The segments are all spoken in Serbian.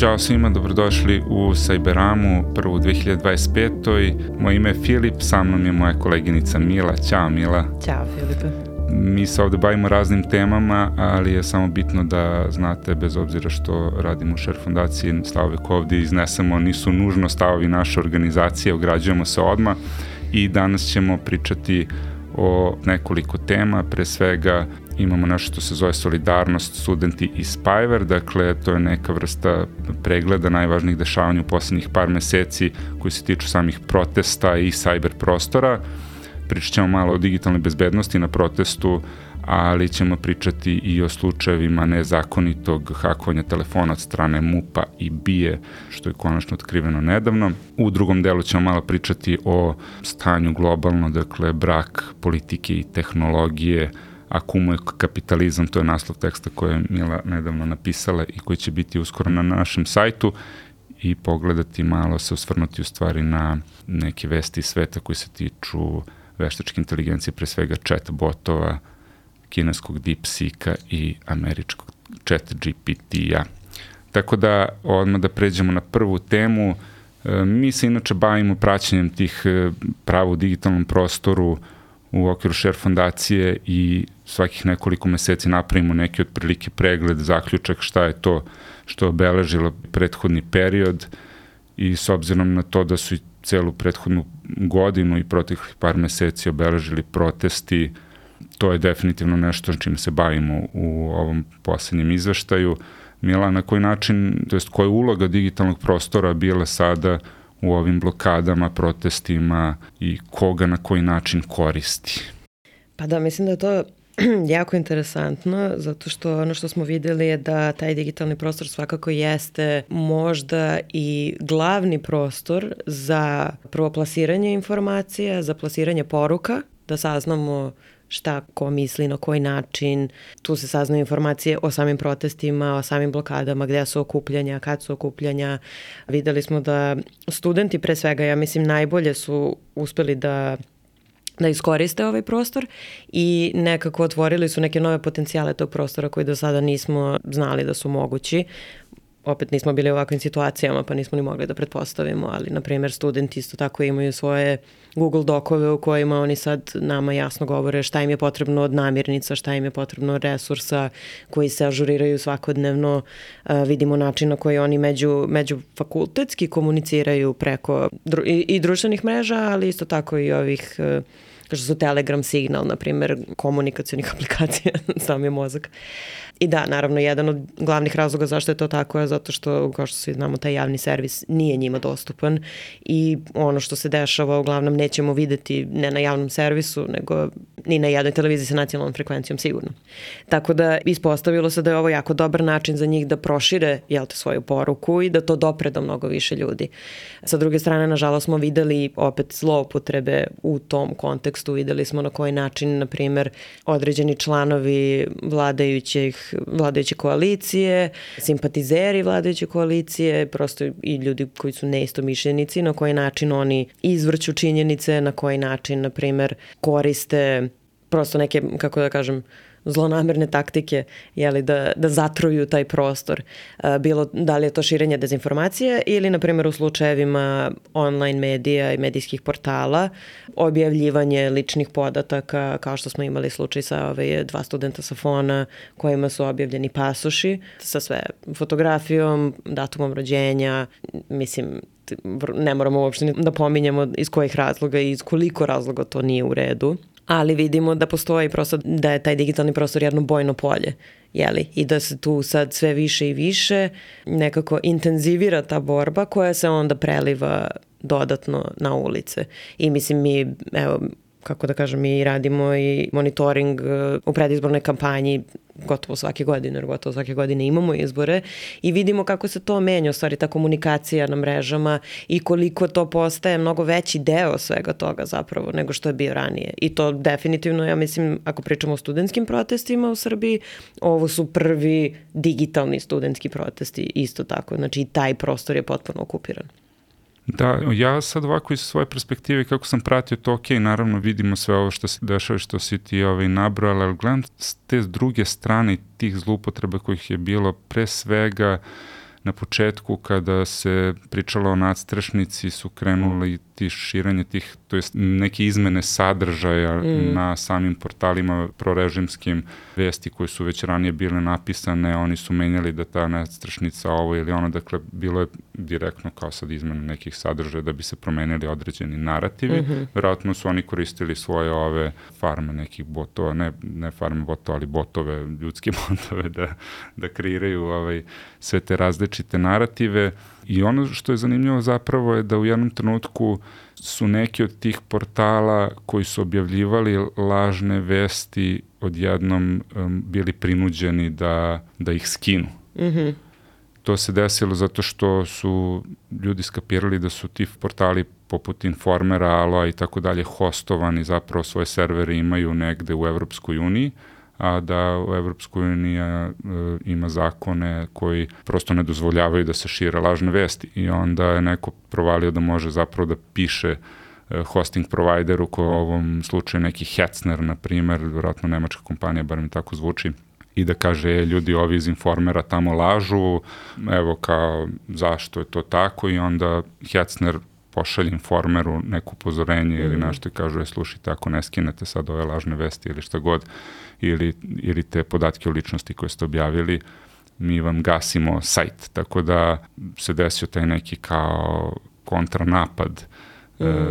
Ćao svima, dobrodošli u Cyberamu, prvu 2025. Moje ime je Filip, sa mnom je moja koleginica Mila. Ćao Mila. Ćao Filipe. Mi se ovde bavimo raznim temama, ali je samo bitno da znate, bez obzira što radimo u Share fondaciji, stavove koje ovde iznesemo nisu nužno stavovi naše organizacije, ograđujemo se odmah i danas ćemo pričati o nekoliko tema. Pre svega imamo nešto što se zove Solidarnost, studenti i Spyver, dakle to je neka vrsta pregleda najvažnijih dešavanja u poslednjih par meseci koji se tiču samih protesta i cyber prostora. Pričat ćemo malo o digitalnoj bezbednosti na protestu, ali ćemo pričati i o slučajevima nezakonitog hakovanja telefona od strane MUP-a i BIA, što je konačno otkriveno nedavno. U drugom delu ćemo malo pričati o stanju globalno, dakle brak politike i tehnologije, ako umuje kapitalizam, to je naslov teksta koje je Mila nedavno napisala i koji će biti uskoro na našem sajtu, i pogledati malo, se osvrnuti u stvari na neke vesti iz sveta koji se tiču veštačke inteligencije, pre svega chat botova, kineskog DeepSeeka i američkog chat GPT-a. Tako da, odmah da pređemo na prvu temu. Mi se inače bavimo praćenjem tih prava u digitalnom prostoru u okviru Share fondacije i svakih nekoliko meseci napravimo neki otprilike pregled, zaključak šta je to što je obeležilo prethodni period, i s obzirom na to da su i celu prethodnu godinu i proteklih par meseci obeležili protesti, to je definitivno nešto čime se bavimo u ovom poslednjem izveštaju. Mila, na koji način, to jest koja je uloga digitalnog prostora bila sada u ovim blokadama, protestima i koga na koji način koristi? Pa da, mislim da je to jako interesantno, zato što ono što smo videli je da taj digitalni prostor svakako jeste možda i glavni prostor za prvo plasiranje informacija, za plasiranje poruka, da saznamo šta ko misli, na koji način. Tu se saznaju informacije o samim protestima, o samim blokadama, gde su okupljanja, kad su okupljanja. Videli smo da studenti pre svega, ja mislim, najbolje su uspeli da iskoriste ovaj prostor i nekako otvorili su neke nove potencijale tog prostora koji do sada nismo znali da su mogući. Opet nismo bili u ovakvim situacijama, pa nismo ni mogli da pretpostavimo, ali, na primjer, studenti isto tako imaju svoje Google dokove u kojima oni sad nama jasno govore šta im je potrebno od namirnica, šta im je potrebno od resursa koji se ažuriraju svakodnevno. Vidimo način na koji oni međufakultetski komuniciraju preko i društvenih mreža, ali isto tako i ovih, kao što su Telegram, Signal, na primjer, komunikacionih aplikacija, sam je mozak. I da, naravno, jedan od glavnih razloga zašto je to tako je zato što, kao što svi znamo, taj javni servis nije njima dostupan i ono što se dešava uglavnom nećemo videti ne na javnom servisu, nego ni na jednoj televiziji sa nacionalnom frekvencijom sigurno. Tako da ispostavilo se da je ovo jako dobar način za njih da prošire svoju poruku i da to dopre do mnogo više ljudi. Sa druge strane, nažalost, smo videli opet zloupotrebe u tom kontekstu. Videli smo na koji način, na primjer, određeni članovi vladajuće koalicije, simpatizeri vladajuće koalicije, prosto i ljudi koji su neistomišljenici, na koji način oni izvrću činjenice, na koji način, na primjer, koriste prosto neke, kako da kažem, zlonamerne taktike, da zatruju taj prostor. Bilo da li je to širenje dezinformacije ili, na primjer, u slučajevima online medija i medijskih portala, objavljivanje ličnih podataka, kao što smo imali slučaj sa dva studenta sa FON-a kojima su objavljeni pasoši sa sve fotografijom, datumom rođenja. Mislim, ne moramo uopšte da pominjemo iz kojih razloga i iz koliko razloga to nije u redu. Ali vidimo da postoji prosto da je taj digitalni prostor jedno bojno polje, i da se tu sad sve više i više nekako intenzivira ta borba koja se onda preliva dodatno na ulice. I mislim, mi, kako da kažem, mi radimo i monitoring u predizbornoj kampanji gotovo svake godine, jer gotovo svake godine imamo izbore i vidimo kako se to menja, u stvari ta komunikacija na mrežama i koliko to postaje mnogo veći deo svega toga zapravo nego što je bio ranije. I to definitivno, ja mislim, ako pričamo o studentskim protestima u Srbiji, ovo su prvi digitalni studentski protesti isto tako. Znači i taj prostor je potpuno okupiran. Da, ja sad ovako iz svoje perspektive kako sam pratio to, naravno vidimo sve ovo što se dešava, što si ti nabrala, ali gledam s te druge strane tih zloupotreba kojih je bilo pre svega na početku kada se pričalo o nadstrešnici su krenuli širenje tih, to jest neke izmene sadržaja na samim portalima prorežimskim, vesti koje su već ranije bile napisane, oni su menjali da ta nadstrešnica ovo ili ono, dakle bilo je direktno kao sad izmena nekih sadržaja da bi se promenili određeni narativi. Vjerojatno su oni koristili svoje ove farme nekih botova, ne farme botova, ali botove, ljudske botove da kreiraju sve te različite narative. I ono što je zanimljivo zapravo je da u jednom trenutku su neki od tih portala koji su objavljivali lažne vesti odjednom bili prinuđeni da ih skinu. To se desilo zato što su ljudi skapirali da su ti portali poput Informera, Aloa i tako dalje hostovani, zapravo svoje servere imaju negde u Evropskoj uniji, a da u Evropskoj uniji ima zakone koji prosto ne dozvoljavaju da se šire lažne vesti. I onda je neko provalio da može zapravo da piše hosting provideru, ko u ovom slučaju neki Hetzner, na primer, vjerojatno nemačka kompanija, bar mi tako zvuči, i da kaže, ljudi ovi iz Informera tamo lažu, evo kao zašto je to tako, i onda Hetzner pošalje Informeru neko upozorenje ili nešto i kažu, slušajte, ako ne skinete sad ove lažne vesti ili šta god, ili te podatke o ličnosti koje ste objavili, mi vam gasimo sajt. Tako da se desio taj neki kao kontranapad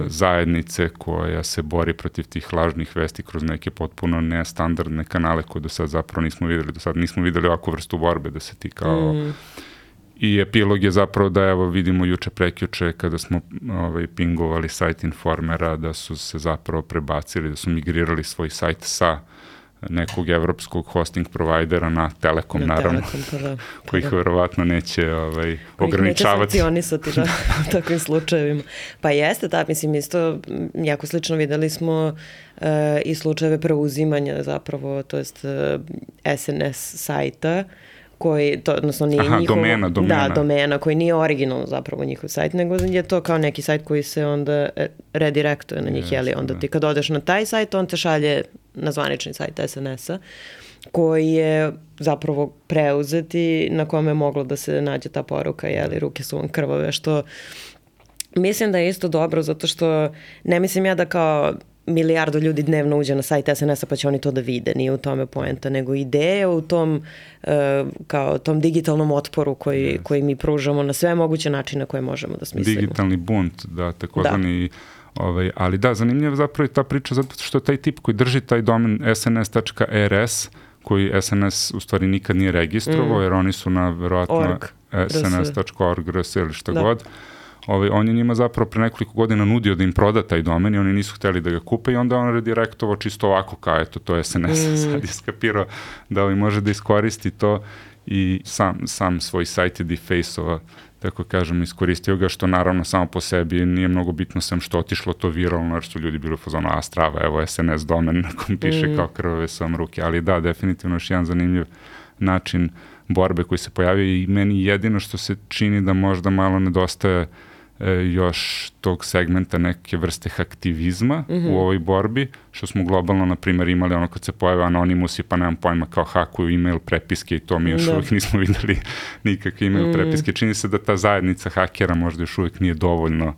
zajednice koja se bori protiv tih lažnih vesti kroz neke potpuno nestandardne kanale koje do sad zapravo nismo videli. Do sad nismo videli ovakvu vrstu borbe da se ti kao... I epilog je zapravo da, evo, vidimo juče prekjuče kada smo pingovali sajt Informera, da su se zapravo prebacili, da su migrirali svoj sajt sa nekog evropskog hosting provajdera na Telekom, naravno, kojih verovatno neće ograničavati. Neće sankcionisati u takvim slučajevima. Pa jeste, mislim, isto jako slično videli smo i slučajeve preuzimanja zapravo, to jest SNS sajta, koji, odnosno nije njihov... domena. Da, domena, koji nije originalno zapravo njihov sajt, nego je to kao neki sajt koji se onda redirektuje na njih, jeli, onda ti kad odeš na taj sajt, on te šalje na zvanični sajt SNS-a, koji je zapravo preuzeti, na kome je moglo da se nađe ta poruka, jeli, ruke su vam krvave, što mislim da je isto dobro, zato što ne mislim ja da kao milijardu ljudi dnevno uđe na sajt SNS-a pa će oni to da vide, nije u tome poenta, nego ideja u tom kao tom digitalnom otporu koji mi pružamo na sve moguće načine koje možemo da smislimo. Digitalni bunt, da, takozvani, ali da, zanimljiva zapravo je ta priča zato što taj tip koji drži taj domen sns.rs, koji SNS u stvari nikad nije registrovao, jer oni su na verovatno sns.org.rs ili šta god. On je njima zapravo pre nekoliko godina nudio da im proda taj domen i oni nisu hteli da ga kupe i onda on redirektovao čisto ovako kao eto to je SNS, sad je skapirao da može da iskoristi to i sam svoj sajt je defaceova, tako kažem, iskoristio ga, što naravno samo po sebi nije mnogo bitno sem što otišlo to viralno, jer su ljudi bili u fazonu, a strava, evo SNS domen na kom piše kao krvave sam ruke, ali da, definitivno još jedan zanimljiv način borbe koji se pojavio i meni jedino što se čini da možda malo nedostaje još tog segmenta neke vrste aktivizma u ovoj borbi, što smo globalno, na primjer, imali ono kad se pojave Anonymous pa nemam pojma kao hakuju email prepiske i to mi još uvijek nismo videli nikakve email prepiske. Čini se da ta zajednica hakera možda još uvijek nije dovoljno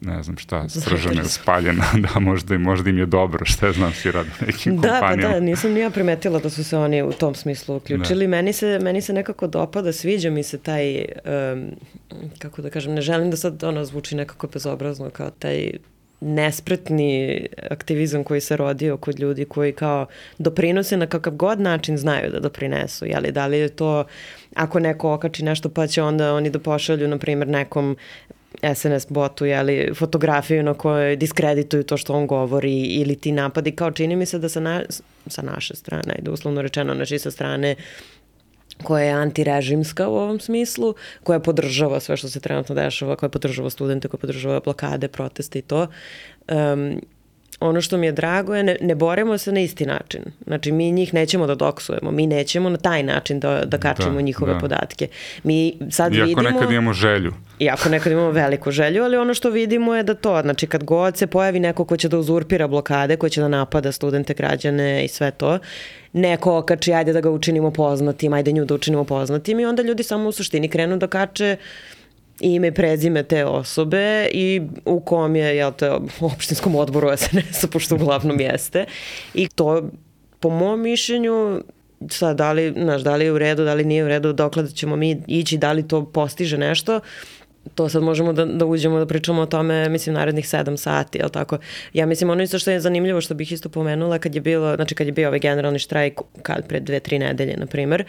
ne znam šta, stržena ili spaljena, da možda im je dobro, šta znam si radi nekim kompanijama. Da, nisam ni ja primetila da su se oni u tom smislu uključili. Meni se nekako dopada, sviđa mi se taj, kako da kažem, ne želim da sad zvuči nekako bezobrazno, kao taj nespretni aktivizam koji se rodio kod ljudi koji kao doprinose na kakav god način znaju da doprinesu. Jeli, da li je to, ako neko okači nešto pa će onda oni da pošalju, na primjer, nekom SNS botu, jeli, fotografiju na kojoj diskredituju to što on govori ili ti napadi, kao čini mi se da sa naše strane, ajde uslovno rečeno, znači sa strane koja je antirežimska u ovom smislu, koja podržava sve što se trenutno dešava, koja podržava studente, koja podržava blokade, proteste i to. ono što mi je drago je ne borimo se na isti način. Znači, mi njih nećemo da doksujemo, mi nećemo na taj način da kačimo njihove podatke. Mi sad iako nekad imamo želju. Iako nekad imamo veliku želju, ali ono što vidimo je da to, znači kad god se pojavi neko ko će da uzurpira blokade, ko će da napada studente, građane i sve to, neko okači, ajde da ga učinimo poznatim, ajde nju da učinimo poznatim i onda ljudi samo u suštini krenu da kače ime i prezime te osobe i u kom je, u opštinskom odboru SNS-a, pošto uglavnom jeste. I to, po mom mišljenju, sad, da li je u redu, da li nije u redu, dokle ćemo mi ići, da li to postiže nešto, to sad možemo da uđemo da pričamo o tome, mislim, narednih 7 sati, jel tako? Ja mislim, ono isto što je zanimljivo, što bih isto pomenula, kad je bio ovaj generalni štrajk, pred 2-3 nedelje, na primer,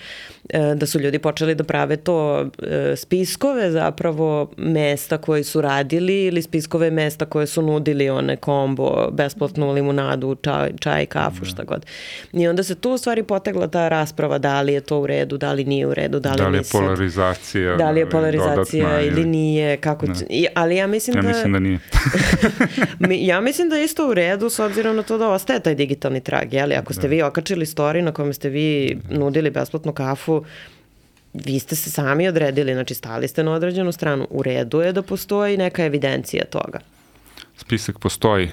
da su ljudi počeli da prave to spiskove zapravo mesta koje su radili ili spiskove mesta koje su nudili one kombo, besplatnu limunadu, čaj, kafu, šta god. I onda se tu u stvari potegla ta rasprava da li je to u redu, da li nije u redu, da li je polarizacija, da li je polarizacija ili nije, kako... Ali ja mislim da... Ja mislim da nije. Ja mislim da je isto u redu s obzirom na to da ostaje taj digitalni trag, jeli? Ako ste vi okačili story na kome ste vi nudili besplatnu kafu, vi ste se sami odredili, znači stali ste na određenu stranu. U redu je da postoji neka evidencija toga. Spisak postoji.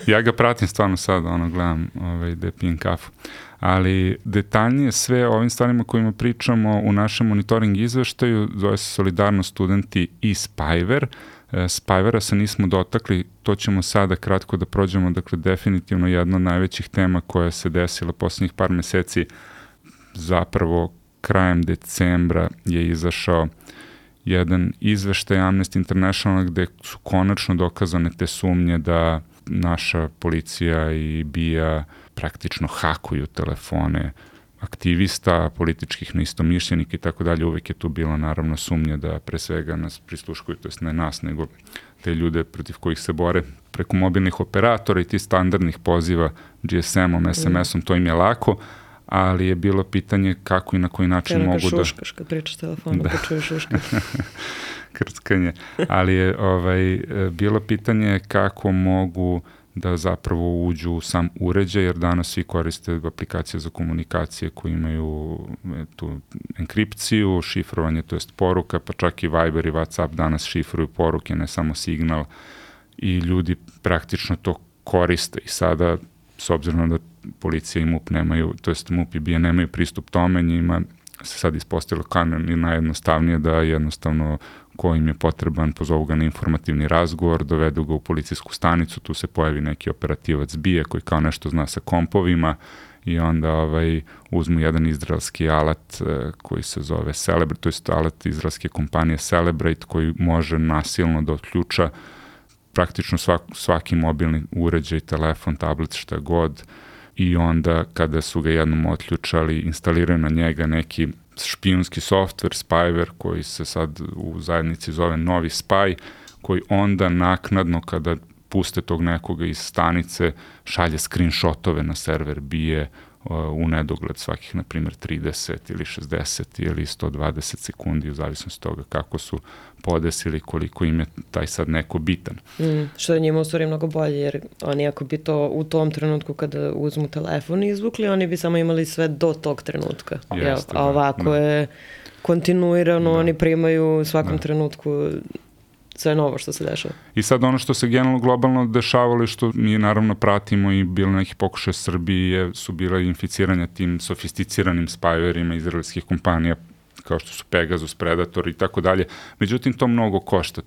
Ja ga pratim stvarno sad, gledam da pijem kafu. Ali detaljnije sve o ovim stvarima kojima pričamo u našem monitoring izveštaju, zove se Solidarnost studenti i Spyver. Spyvera se nismo dotakli, to ćemo sada kratko da prođemo, dakle definitivno jedna od najvećih tema koja se desila posljednjih par meseci, zapravo krajem decembra je izašao jedan izveštaj Amnesty International gde su konačno dokazane te sumnje da naša policija i BIA praktično hakuju telefone aktivista, političkih neistomišljenika i tako dalje. Uvek je tu bila naravno sumnja da pre svega nas prisluškuju, to jest ne nas, nego te ljude protiv kojih se bore preko mobilnih operatora i ti standardnih poziva GSM-om, SMS-om, to im je lako, ali je bilo pitanje kako i na koji način mogu da... šuškaš kad pričaš telefonu, da čuješ šuškaš. Krckanje. Ali je bilo pitanje kako mogu da zapravo uđu u sam uređaj, jer danas svi koriste aplikacije za komunikacije koje imaju tu enkripciju, šifrovanje, to jest poruka, pa čak i Viber i WhatsApp danas šifruju poruke, ne samo signal, i ljudi praktično to koriste. I sada, s obzirom da policija i MUP nemaju, to jest MUP i BIA nemaju pristup tome, njima se sad ispostavilo kanon i najjednostavnije da jednostavno ko im je potreban, pozovu ga na informativni razgovor, dovedu ga u policijsku stanicu, tu se pojavi neki operativac BIA koji kao nešto zna sa kompovima i onda uzmu jedan izraelski alat koji se zove Celebrate, to jest alat izraelske kompanije Celebrate koji može nasilno da otključa praktično svaki mobilni uređaj, telefon, tablet, šta god, i onda kada su ga jednom otključali, instaliraju na njega neki špijunski softver, Spyver, koji se sad u zajednici zove Novi Spy, koji onda naknadno kada puste tog nekoga iz stanice šalje screenshotove na server BIA u nedogled svakih, na primjer, 30 ili 60 ili 120 sekundi, u zavisnosti toga kako su podesili, koliko im je taj sad neko bitan. Što je njima u stvari mnogo bolje, jer oni ako bi to u tom trenutku kada uzmu telefon izvukli, oni bi samo imali sve do tog trenutka. A ovako je kontinuirano, oni primaju u svakom trenutku sve novo što se dešava. I sad ono što se generalno globalno dešavalo i što mi naravno pratimo i bilo neki pokušaj Srbije su bila inficiranja tim sofisticiranim spyverima izraelskih kompanija kao što su Pegasus, Predator i tako dalje. Međutim, to mnogo košta.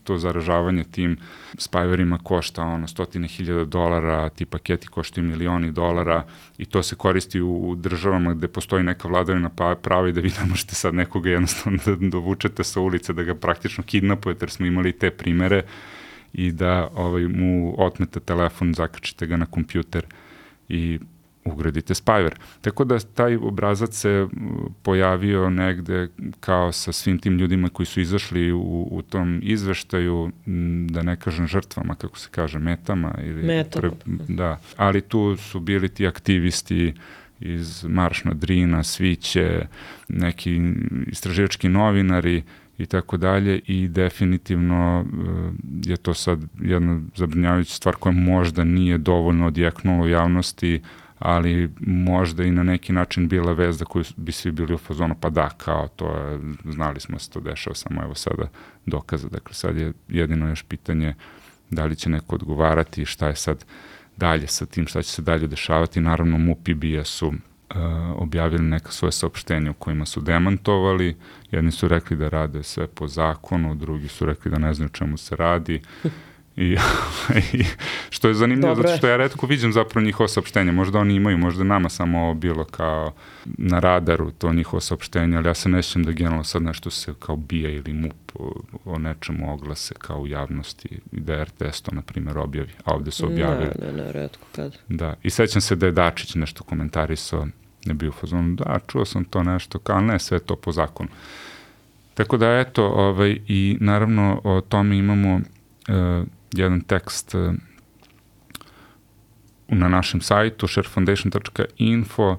To zaražavanje tim spyverima košta $100,000, ti paketi koštaju $1,000,000 i to se koristi u državama gde postoji neka vladavina prava i da vi ne možete sad nekoga jednostavno da dovučete sa ulice, da ga praktično kidnapujete, jer smo imali te primere, i da mu otmete telefon, zakačite ga na kompjuter i ugradite Spyver. Tako da taj obrazac se pojavio negde kao sa svim tim ljudima koji su izašli u tom izveštaju, da ne kažem žrtvama, kako se kaže, metama. Da, ali tu su bili ti aktivisti iz Marš na Drina, Sviće, neki istraživački novinari i tako dalje, i definitivno je to sad jedna zabrinjavajuća stvar koja možda nije dovoljno odjeknula u javnosti, ali možda i na neki način bila vest za koju bi svi bili u fazonu, pa da, kao to je, znali smo se to dešava, samo evo sada dokaza. Dakle, sad je jedino još pitanje da li će neko odgovarati, šta je sad dalje sa tim, šta će se dalje dešavati. Naravno, MUP i BIA su objavili neka svoje saopštenja u kojima su demantovali. Jedni su rekli da rade sve po zakonu, drugi su rekli da ne znaju čemu se radi. I što je zanimljivo, zato što ja retko vidim zapravo njihovo saopštenje. Možda oni imaju, možda nama samo bilo kao na radaru to njihovo saopštenje, ali ja se ne sjećam da generalno sad nešto se kao BIA ili MUP o nečemu oglase kao u javnosti i da RTS to, na primjer, objavi, a ovde su objavili. Ne, retko kad. Da, i sećam se da je Dačić nešto komentarisao, ne bio u fazonu, da, čuo sam to nešto, kao ne, sve to po zakonu. Tako da, eto, i naravno o tome imamo jedan tekst na našem sajtu sharefoundation.info,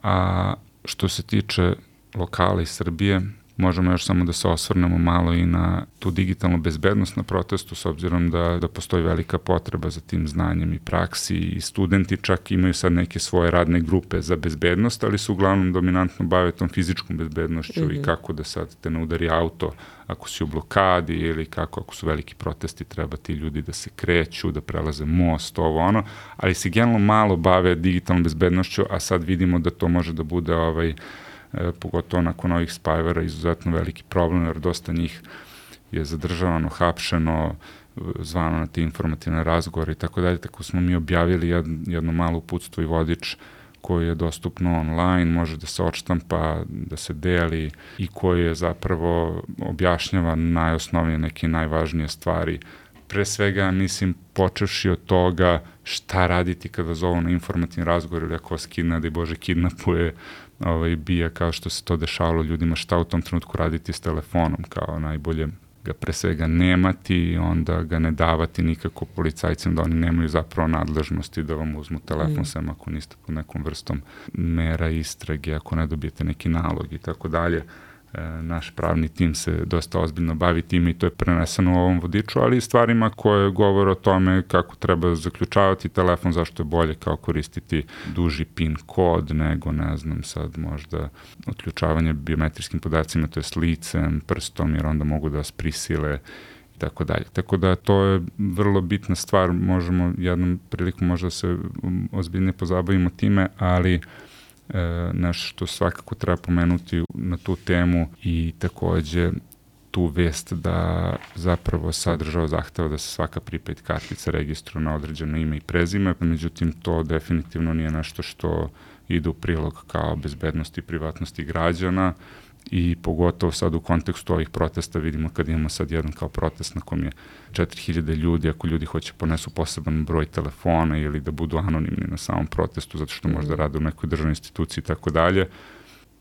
a što se tiče lokala iz Srbije, možemo još samo da se osvrnemo malo i na tu digitalnu bezbednost na protestu, s obzirom da postoji velika potreba za tim znanjem i praksi, i studenti čak imaju sad neke svoje radne grupe za bezbednost, ali se uglavnom dominantno bave tom fizičkom bezbednošću i kako da sad te ne udari auto ako si u blokadi, ili kako ako su veliki protesti treba ti ljudi da se kreću, da prelaze most, ovo ono, ali se generalno malo bave digitalnom bezbednošću, a sad vidimo da to može da bude pogotovo nakon ovih spajvera izuzetno veliki problem, jer dosta njih je zadržavano, hapšeno, zvano na te informativne razgovore i tako dalje. Tako smo mi objavili jedno malo uputstvo i vodič koji je dostupno online, može da se odštampa, da se deli, i koji je zapravo objašnjava najosnovnije neke najvažnije stvari. Pre svega, mislim, počevši od toga šta raditi kada zovu na informativni razgovor, ili ako vas da i Bože kidnapuje BIA, kao što se to dešavalo ljudima, šta u tom trenutku raditi s telefonom, kao najbolje ga pre svega nemati, onda ga ne davati nikako policajcima, da oni nemaju zapravo nadležnosti da vam uzmu telefon, sem ako niste pod nekom vrstom mera istrage, ako ne dobijete neki nalog i tako dalje. Naš pravni tim se dosta ozbiljno bavi tim i to je preneseno u ovom vodiču, ali i stvarima koje govore o tome kako treba zaključavati telefon, zašto je bolje kao koristiti duži PIN kod nego, ne znam, sad možda otključavanje biometrijskim podacima, to je s licem, prstom, jer onda mogu da vas prisile i tako dalje. Tako da to je vrlo bitna stvar, možemo jednom priliku možda se ozbiljnije pozabavimo time, ali nešto što svakako treba pomenuti na tu temu, i takođe tu vest da zapravo sad država zahteva da se svaka prepaid kartica registruje na određeno ime i prezime, međutim to definitivno nije nešto što ide u prilog kao bezbednosti i privatnosti građana, i pogotovo sad u kontekstu ovih protesta vidimo kad imamo sad jedan kao protest na kom je 4000 ljudi, ako ljudi hoće ponesu poseban broj telefona ili da budu anonimni na samom protestu zato što možda rade u nekoj državnoj instituciji i tako dalje,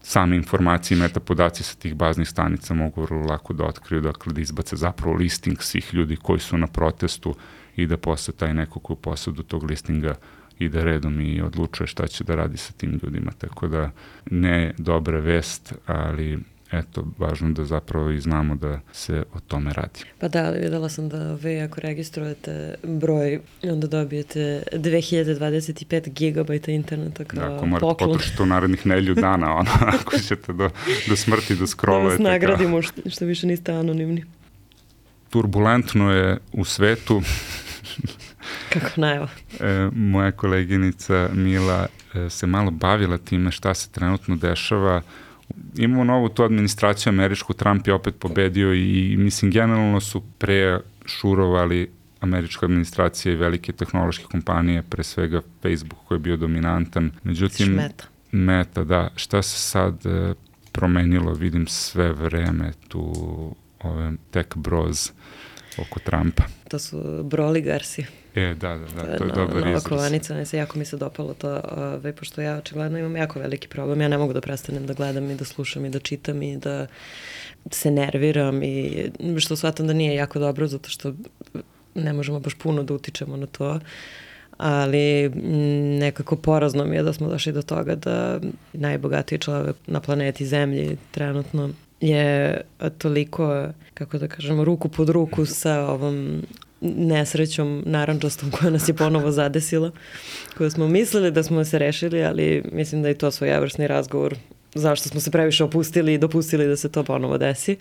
same informacije i metapodaci sa tih baznih stanica mogu vrlo lako da otkriju, dakle da izbace zapravo listing svih ljudi koji su na protestu i da posle taj neko koji u posledu tog listinga ide redom i odlučuje šta će da radi sa tim ljudima, tako da ne dobra vest, ali eto, važno da zapravo i znamo da se o tome radi. Pa da, videla sam da vi ako registrujete broj, onda dobijete 2025 gigabajta interneta kao poklon. Ako morate potrošiti u narednih nedelju dana, ako ćete do smrti da scrollujete. Da vas nagradimo što više niste anonimni. Turbulentno je u svetu. Kako najava. Moja koleginica Mila se malo bavila time šta se trenutno dešava. Imamo novu tu administraciju američku, Trump je opet pobedio i mislim generalno su prešurovali američka administracija i velike tehnološke kompanije, pre svega Facebook koji je bio dominantan. Međutim, Meta, da. Šta se sad promenilo, vidim sve vreme tu ove tech bros oko Trumpa. To su broligarsi. Da, to je dobar izraz. Kovanica, jako mi se dopalo to, pošto ja očigledno imam jako veliki problem, ja ne mogu da prestanem da gledam i da slušam i da čitam i da se nerviram, i što shvatam da nije jako dobro, zato što ne možemo baš puno da utičemo na to, ali nekako porazno mi je da smo došli do toga da najbogatiji čovek na planeti Zemlji trenutno je toliko, kako da kažemo, ruku pod ruku sa ovom nesrećom narandžastom koja nas je ponovo zadesila, koju smo mislili da smo se rešili, ali mislim da je to svojevrsni razgovor zašto smo se previše opustili i dopustili da se to ponovo desi.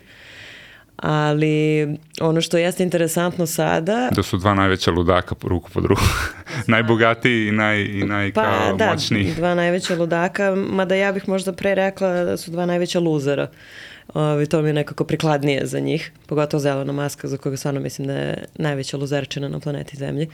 Ali ono što jeste interesantno sada... Da su dva najveća ludaka ruku pod ruku. Najbogatiji i moćniji. Pa da, dva najveća ludaka, mada ja bih možda pre rekla da su dva najveća luzera. To mi je nekako prikladnije za njih, pogotovo Elona Muska, za koga stvarno mislim da je najveća luzerčina na planeti Zemlji.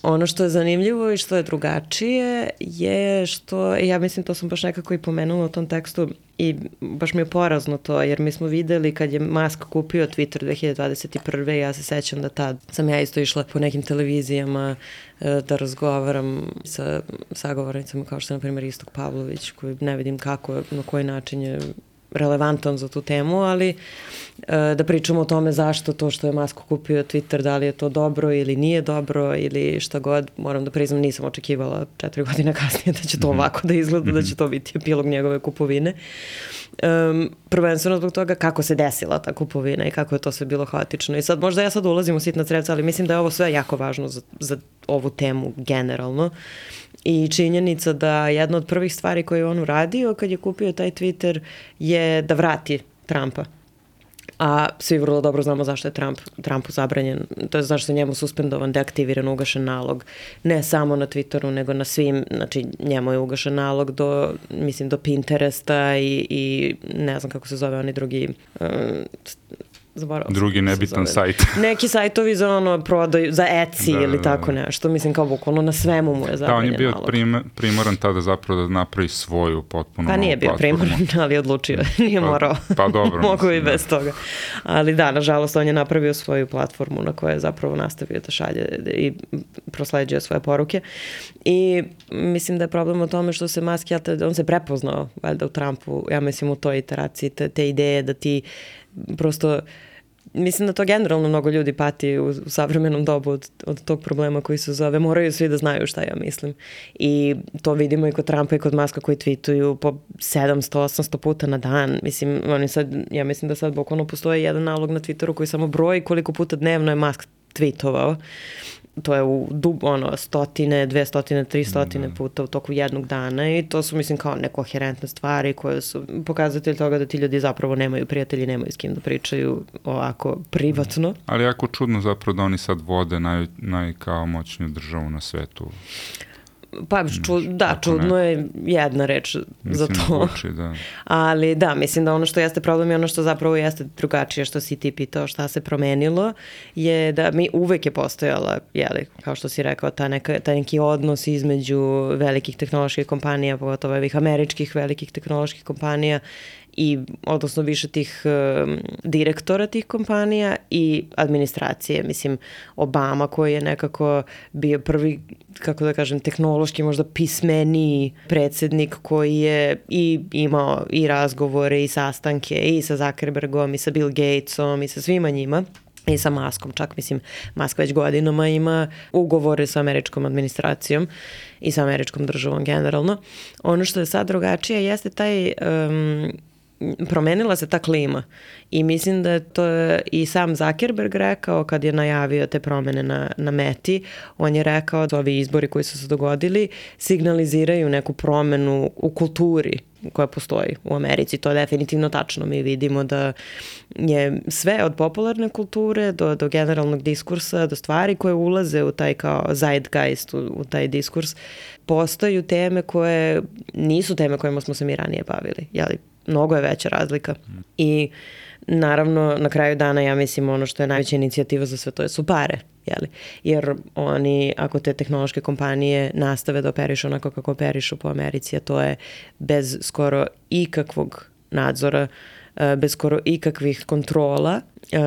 Ono što je zanimljivo i što je drugačije je što, ja mislim to sam baš nekako i pomenula u tom tekstu i baš mi je porazno to, jer mi smo videli kad je Musk kupio Twitter 2021. Ja se sećam da tad sam ja isto išla po nekim televizijama da razgovaram sa sagovornicama kao što je na primjer Istok Pavlović, koji ne vidim kako, na koji način je relevantan za tu temu, ali da pričamo o tome zašto to što je Musk kupio Twitter, da li je to dobro ili nije dobro ili šta god, moram da priznam, nisam očekivala 4 godine kasnije da će to ovako da izgleda, da će to biti epilog njegove kupovine. Prvenstveno zbog toga kako se desila ta kupovina i kako je to sve bilo haotično. I sad, možda ja sad ulazim u sitna crevca, ali mislim da je ovo sve jako važno za ovu temu generalno. I činjenica da jedna od prvih stvari koje je on uradio kad je kupio taj Twitter je da vrati Trumpa. A svi vrlo dobro znamo zašto je Trumpu zabranjen, to je zašto je njemu suspendovan, deaktiviran, ugašen nalog, ne samo na Twitteru, nego na svim, znači njemu je ugašen nalog do Pinteresta i ne znam kako se zove oni drugi... drugi nebitan sajt. Neki sajtovi za ono prodaju, za Etsy ili tako nešto. Mislim kao bukvalno na svemu mu je zabranjen nalog. Da, on je bio primoran tada zapravo da napravi svoju potpuno pa nije bio primoran, ali odlučio. Nije morao. Pa dobro. Mogu i bez toga. Ali da, nažalost, on je napravio svoju platformu na kojoj je zapravo nastavio da šalje i prosleđuje svoje poruke. I mislim da je problem u tome što se Musk, on se prepoznao valjda u Trumpu, ja mislim u toj iteraciji, te ideje da ti prosto, mislim da to generalno mnogo ljudi pati u savremenom dobu od tog problema koji se zove, moraju svi da znaju šta ja mislim. I to vidimo i kod Trumpa i kod Muska koji tweetuju po 700-800 puta na dan. Mislim, ja mislim da sad bukvalno postoji jedan nalog na Twitteru koji samo broji koliko puta dnevno je Musk tweetovao. To je u 100, 200, 300 puta u toku jednog dana i to su, mislim, kao nekoherentne stvari koje su pokazatelj toga da ti ljudi zapravo nemaju prijatelji, nemaju s kim da pričaju ovako privatno. Ali jako čudno zapravo da oni sad vode kao moćniju državu na svetu. Pa, čudno je jedna reč za to. Da. Ali da, mislim da ono što jeste problem i ono što zapravo jeste drugačije, što si ti pitao šta se promenilo, je da mi uvek je postojala, kao što si rekao, taj neki odnos između velikih tehnoloških kompanija, pogotovo ovih američkih velikih tehnoloških kompanija i odnosno više tih direktora tih kompanija i administracije. Mislim, Obama koji je nekako bio prvi, kako da kažem, tehnološki možda pismeniji predsjednik koji je i imao i razgovore i sastanke i sa Zuckerbergom i sa Bill Gatesom i sa svima njima. I sa Muskom čak, mislim, Musk već godinama ima ugovore sa američkom administracijom i sa američkom državom generalno. Ono što je sad drugačije jeste taj... promenila se ta klima i mislim da je to i sam Zuckerberg rekao kad je najavio te promene na Meti. On je rekao da ovi izbori koji su se dogodili signaliziraju neku promenu u kulturi koja postoji u Americi. To je definitivno tačno. Mi vidimo da je sve od popularne kulture do generalnog diskursa, do stvari koje ulaze u taj kao zeitgeist, u taj diskurs, postaju teme koje nisu teme kojima smo se mi ranije bavili. Mnogo je veća razlika. I naravno, na kraju dana, ja mislim, ono što je najveća inicijativa za sve to su pare. Jer oni, ako te tehnološke kompanije nastave da operišu onako kako operišu po Americi, a to je bez skoro ikakvog nadzora, bez skoro ikakvih kontrola,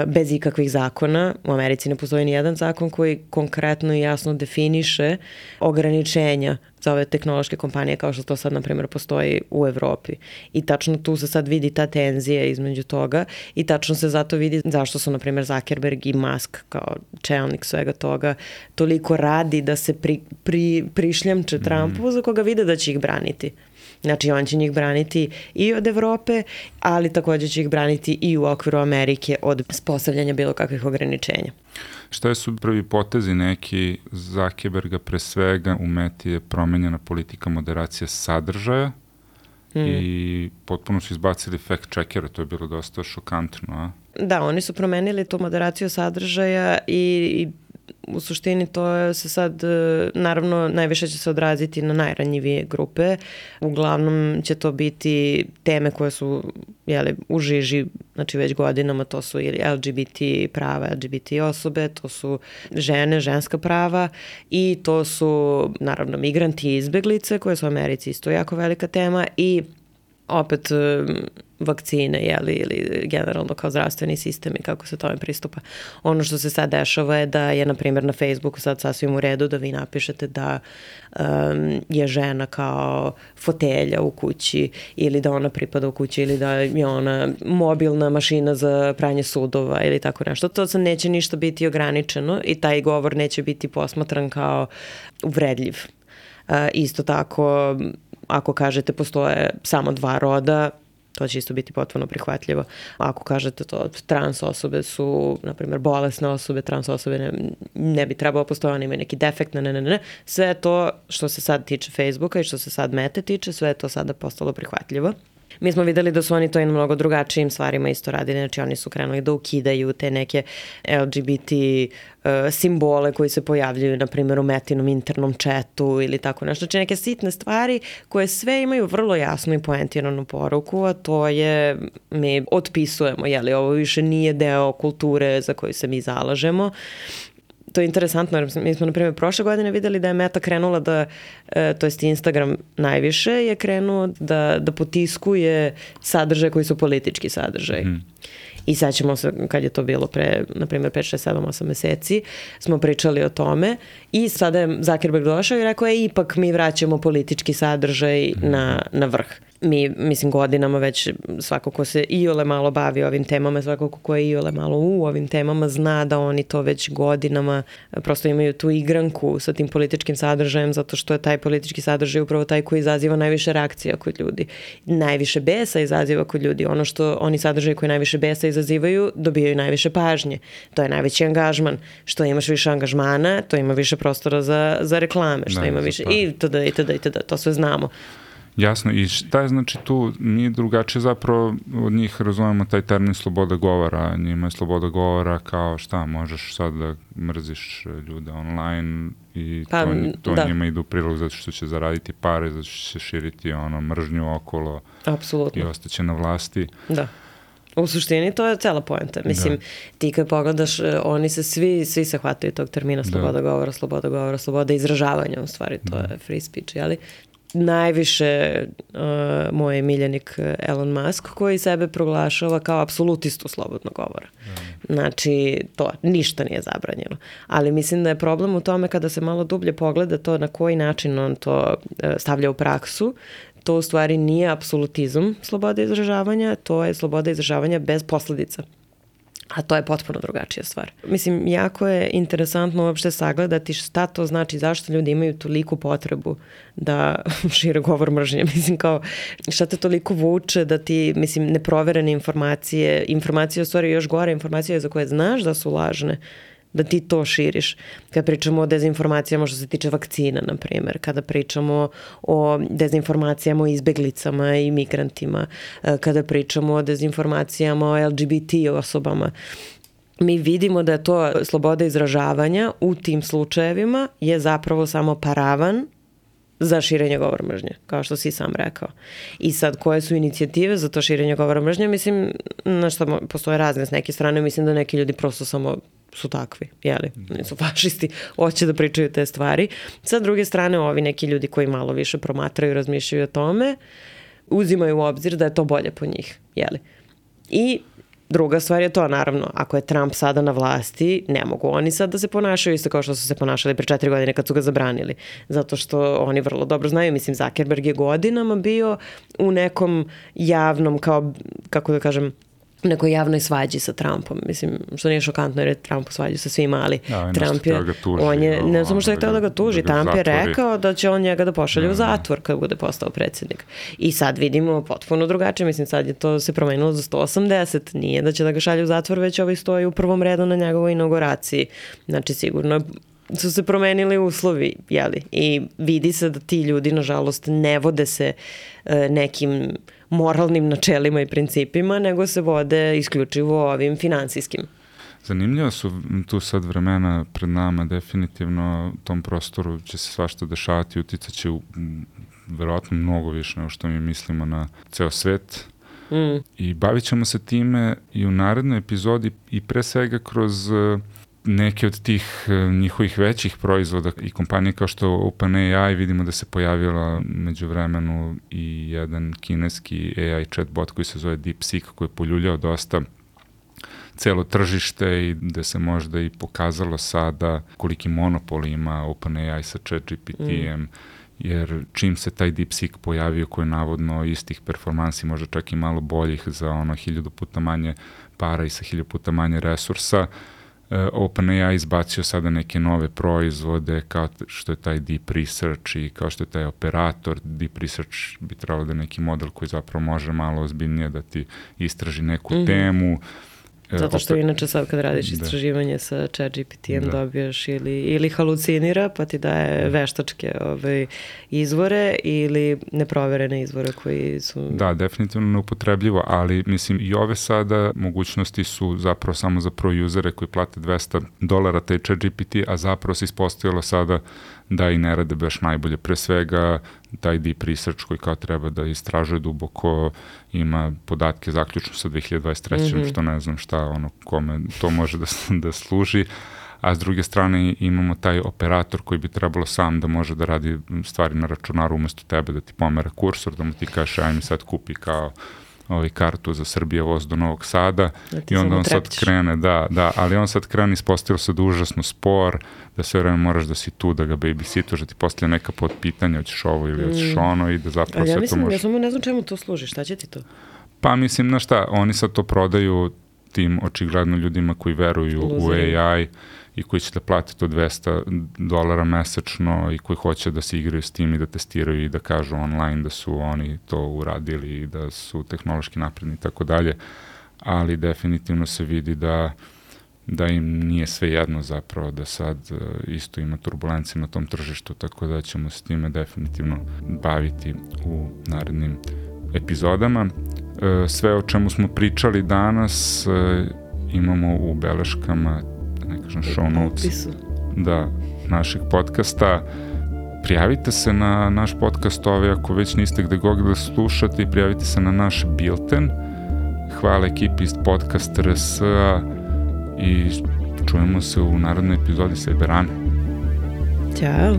bez ikakvih zakona. U Americi ne postoji ni jedan zakon koji konkretno i jasno definiše ograničenja za ove tehnološke kompanije kao što to sad, na primjer, postoji u Evropi. I tačno tu se sad vidi ta tenzija između toga i tačno se zato vidi zašto su, na primjer, Zuckerberg i Musk kao čelnik svega toga toliko radi da se prišljamče Trumpu za koga vide da će ih braniti. Znači on će njih braniti i od Evrope, ali također će ih braniti i u okviru Amerike od postavljanja bilo kakvih ograničenja. Šta su prvi potezi neki Zuckerberga? Pre svega u Meti je promenjena politika moderacije sadržaja i potpuno su izbacili fact-checkera, to je bilo dosta šokantno, a? Da, oni su promenili tu moderaciju sadržaja i u suštini to se sad, naravno, najviše će se odraziti na najranjivije grupe. Uglavnom će to biti teme koje su u žiži, znači već godinama, to su ili LGBT prava, LGBT osobe, to su žene, ženska prava i to su, naravno, migranti i izbeglice koje su u Americi isto jako velika tema i opet vakcine, ili generalno kao zdravstveni sistem i kako se tome pristupa. Ono što se sad dešava je da je, na primjer, na Facebooku sad sasvim u redu da vi napišete da je žena kao fotelja u kući ili da ona pripada u kući ili da je ona mobilna mašina za pranje sudova ili tako nešto. To sad neće ništa biti ograničeno i taj govor neće biti posmatran kao uvredljiv. Isto tako, ako kažete postoje samo 2 roda, to će isto biti potpuno prihvatljivo. Ako kažete to, trans osobe su, na primjer, bolesne osobe, trans osobe ne bi trebalo postoje, oni imaju neki defekt, ne. Sve to što se sad tiče Facebooka i što se sad Mete tiče, sve je to sada postalo prihvatljivo. Mi smo videli da su oni to i na mnogo drugačijim stvarima isto radili, znači oni su krenuli da ukidaju te neke LGBT simbole koji se pojavljuju, na primjer, u Metinom internom chatu ili tako nešto. Znači neke sitne stvari koje sve imaju vrlo jasnu i poentiranu poruku, a to je mi otpisujemo, ovo više nije deo kulture za koju se mi zalažemo. To je interesantno, jer mi smo, na primjer, prošle godine videli da je Meta krenula da, to jest Instagram najviše je krenuo da potiskuje sadržaje koji su politički sadržaj. I sad ćemo se, kad je to bilo pre, na primjer, 5, 6, 7, 8 meseci, smo pričali o tome i sada je Zuckerberg došao i rekao je ipak mi vraćamo politički sadržaj na vrh. Mi, mislim, godinama već svako ko se iole malo bavi ovim temama, svako ko je iole malo u ovim temama zna da oni to već godinama prosto imaju tu igranku sa tim političkim sadržajem zato što je taj politički sadržaj upravo taj koji izaziva najviše reakcija kod ljudi. Najviše besa izaziva kod ljudi. Ono što oni sadržaji koji najviše besa izazivaju dobijaju najviše pažnje. To je najveći angažman. Što imaš više angažmana, to ima više prostora za reklame. Što ima više itd. To sve znamo. Jasno, i šta je znači tu, mi drugačije zapravo od njih razumemo taj termin sloboda govora, njima je sloboda govora kao šta, možeš sad da mrziš ljude online i to njima ide u prilog zato što će zaraditi pare, zato što će širiti mržnju okolo. Apsolutno. I ostaće na vlasti. Da. U suštini to je cela poenta. Mislim, ti kad pogledaš, oni se svi se hvataju tog termina sloboda govora, sloboda izražavanja, u stvari to je free speech, jeli? Najviše moj miljenik Elon Musk koji sebe proglašava kao apsolutistu slobodnog govora. Znači, to ništa nije zabranjeno. Ali mislim da je problem u tome kada se malo dublje pogleda to na koji način on to stavlja u praksu. To u stvari nije apsolutizam slobode izražavanja, to je sloboda izražavanja bez posljedica. A to je potpuno drugačija stvar. Mislim, jako je interesantno uopšte sagledati šta to znači, zašto ljudi imaju toliku potrebu da šire govor mržnje. Mislim, kao, šta te toliko vuče da ti, mislim, neproverene informacije u stvari još gore, informacije za koje znaš da su lažne, da ti to širiš. Kada pričamo o dezinformacijama što se tiče vakcina, na primjer, kada pričamo o dezinformacijama o izbeglicama i migrantima, kada pričamo o dezinformacijama o LGBT osobama, mi vidimo da je to sloboda izražavanja u tim slučajevima je zapravo samo paravan za širenje govora mržnje, kao što si sam rekao. I sad, koje su inicijative za to širenje govora mržnje? Mislim, na što postoje razne s neke strane, mislim da neki ljudi prosto samo su takvi, jeli? Nisu fašisti, hoće da pričaju te stvari. Sa druge strane, ovi neki ljudi koji malo više promatraju i razmišljaju o tome, uzimaju u obzir da je to bolje po njih, jeli? I druga stvar je to, naravno, ako je Trump sada na vlasti, ne mogu oni sad da se ponašaju isto kao što su se ponašali pre 4 godine kad su ga zabranili. Zato što oni vrlo dobro znaju, mislim, Zuckerberg je godinama bio u nekom javnom, kao, kako da kažem, nekoj javnoj svađi sa Trumpom. Mislim, što nije šokantno jer je Trump u svađi sa svima, ali Trump je, on je, ne samo što je htio da ga tuži, Trump je rekao da će on njega da pošalje u zatvor kad bude postao predsjednik. I sad vidimo potpuno drugačije, mislim, sad je to se promenilo za 180, nije da će da ga šalje u zatvor, već ovaj stoji u prvom redu na njegovoj inauguraciji. Znači, sigurno su se promenili uslovi, jeli? I vidi se da ti ljudi, nažalost, ne vode se nekim moralnim načelima i principima, nego se vode isključivo ovim finansijskim. Zanimljivo su tu sad vremena pred nama, definitivno u tom prostoru će se svašta dešavati, uticat će verovatno mnogo više nego što mi mislimo na ceo svet. I bavit ćemo se time i u narednoj epizodi i pre svega kroz neke od tih njihovih većih proizvoda i kompanije kao što OpenAI, vidimo da se pojavila među vremenu i jedan kineski AI chatbot koji se zove DeepSeek, koji je poljuljao dosta celo tržište i da se možda i pokazalo sada koliki monopol ima OpenAI sa ChatGPT-em, jer čim se taj DeepSeek pojavio koji je navodno istih performansi, možda čak i malo boljih za 1000 puta manje para i sa 1000 puta manje resursa, OpenAI izbacio sada neke nove proizvode kao što je taj Deep Research i kao što je taj operator. Deep Research bi trebalo da je neki model koji zapravo može malo ozbiljnije da ti istraži neku temu. Zato što inače sad kad radiš istraživanje sa ChatGPT-em dobiješ ili halucinira pa ti daje veštačke izvore ili neproverene izvore koji su... Da, definitivno neupotrebljivo, ali mislim i ove sada mogućnosti su zapravo samo za pro-usere koji plate $200 taj ChatGPT, a zapravo se ispostavilo sada da i ne rade baš najbolje. Pre svega taj Deep Research koji kao treba da istražuje duboko, ima podatke zaključno sa 2023. Što ne znam šta, kome to može da služi. A s druge strane imamo taj operator koji bi trebalo sam da može da radi stvari na računaru umesto tebe, da ti pomera kursor, da mu ti kažeš aj mi sad kupi kao kartu za Srbije voz do Novog Sada i onda on sad krene, ali on sad krene, ispostavilo se da užasno spor, da sve vreme moraš da si tu, da ga babysituješ, da ti postavlja neka podpitanja, hoćeš ovo ili hoćeš ono i da zapravo sve to može... Ja samo ne znam čemu to služi, šta će ti to? Pa mislim, znaš šta, oni sad to prodaju tim očigledno ljudima koji veruju u AI i koji će da plati to $200 mesečno i koji hoće da se igraju s tim i da testiraju i da kažu online da su oni to uradili i da su tehnološki napredni i tako dalje, ali definitivno se vidi da im nije sve jedno zapravo, da sad isto ima turbulencije na tom tržištu, tako da ćemo se time definitivno baviti u narednim epizodama. Sve o čemu smo pričali danas imamo u beleškama, ne kažem show notes, našeg podcasta. Prijavite se na naš podcast ako već niste gde god da slušate i prijavite se na naš bilten. Hvala ekipi iz Podcast RS-a i čujemo se u narodnoj epizodi Sajberane. Ćao!